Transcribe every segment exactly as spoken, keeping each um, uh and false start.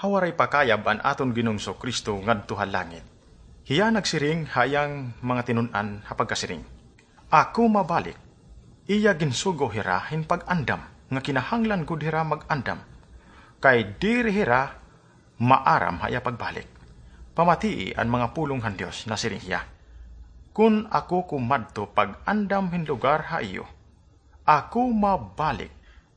Ha waray pa kayab an aton Ginoong Jesu-Cristo ngadto ha langit, hiya nagsiring ha iyang mga tinun-an ha pagkasiring, "Ako mabalik." Iya ginsugo hira hin pag-andam, nga kinahanglan gud hira mag-andam, kay diri hira maaram ha iya pagbalik. Pamatii an mga pulong han Dios, nasiring hiya, "Kon ako kumadto pag-andam hin lugar ha iyo, ako mabalik.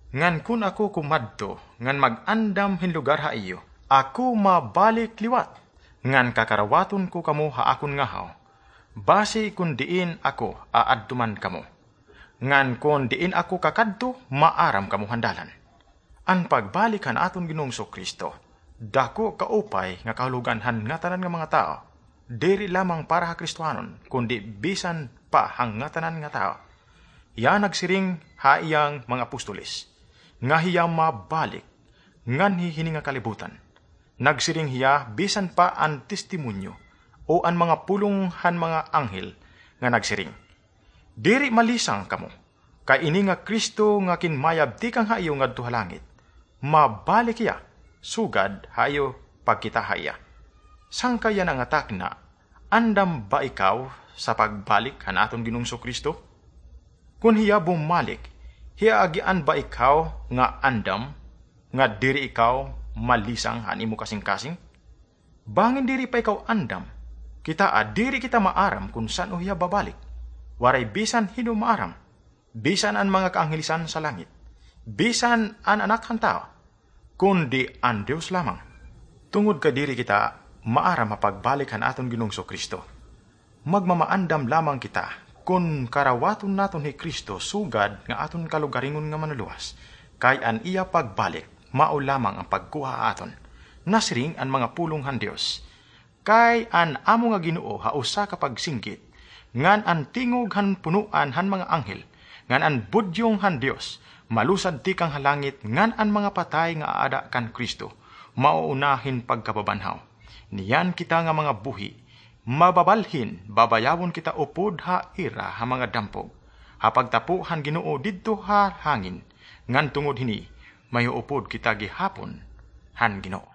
Ngan kon ako kumadto ngan mag-andam hin lugar ha iyo, ako mabalik liwat, ngan kakarawaton ko kamo ha akon ngahaw, basi kon diin ako aadto man kamo. Ngan kon diin ako kakadto, maaram kamo han dalan." An pagbalik han aton Ginoong Jesu-Cristo, dako kaupay nga kahulogan han ngatanan nga mga tawo, diri lamang para ha Kristianon, kundi bisan pa ha ngatanan nga tawo. Hiya nagsiring ha iyang mga apostoles nga hiya mabalik nganhi hini nga kalibutan. Nagsiring hiya bisan pa an testimonyo o an mga pulong han mga anghel nga nagsiring, "Diri malisang kamo, kay ini nga Cristo nga kinmayab tikang ha iyo ngadto ha langit, mabalik hiya, sugad ha iyo pagkita ha iya." Sangkay yana nga takna, andam ba ikaw sa pagbalik han aton Ginoong Jesu-Cristo? Kon hiya bumalik, hiya agian ba ikaw nga andam, nga diri ikaw malisang han imo kasingkasing? Bangin diri pa ikaw andam, kitaa, diri kita maaram kon san-o hiya babalik. Waray bisan hin-o maaram, bisan an mga kaanghelisan sa langit, bisan an Anak han Tawo, kundi an Dios lamang. Tungod kay diri kita maaram ha pagbalik han aton Ginoong Jesu-Cristo, magmamaandam lamang kita kon karawaton naton hi Cristo sugad nga aton kalugaringon nga Manluluwas, kay an iya pagbalik mao lamang an pagkuha ha aton. Nasiring an mga pulong han Dios, "Kay an amo nga Ginoo ha usa ka pagsinggit, ngan an tingog han punoan han mga anghel, ngan an budyong han Dios, malusad tikang ha langit, ngan an mga patay nga aada kan Cristo, mauuna hin pagkababanhaw. Niyan kita nga mga buhi, mababalhin, babayawon kita upod ha ira ha mga dampog, ha pagtapo han Ginoo didto ha hangin, ngan tungod hini, mahiupod kita gihapon han Ginoo."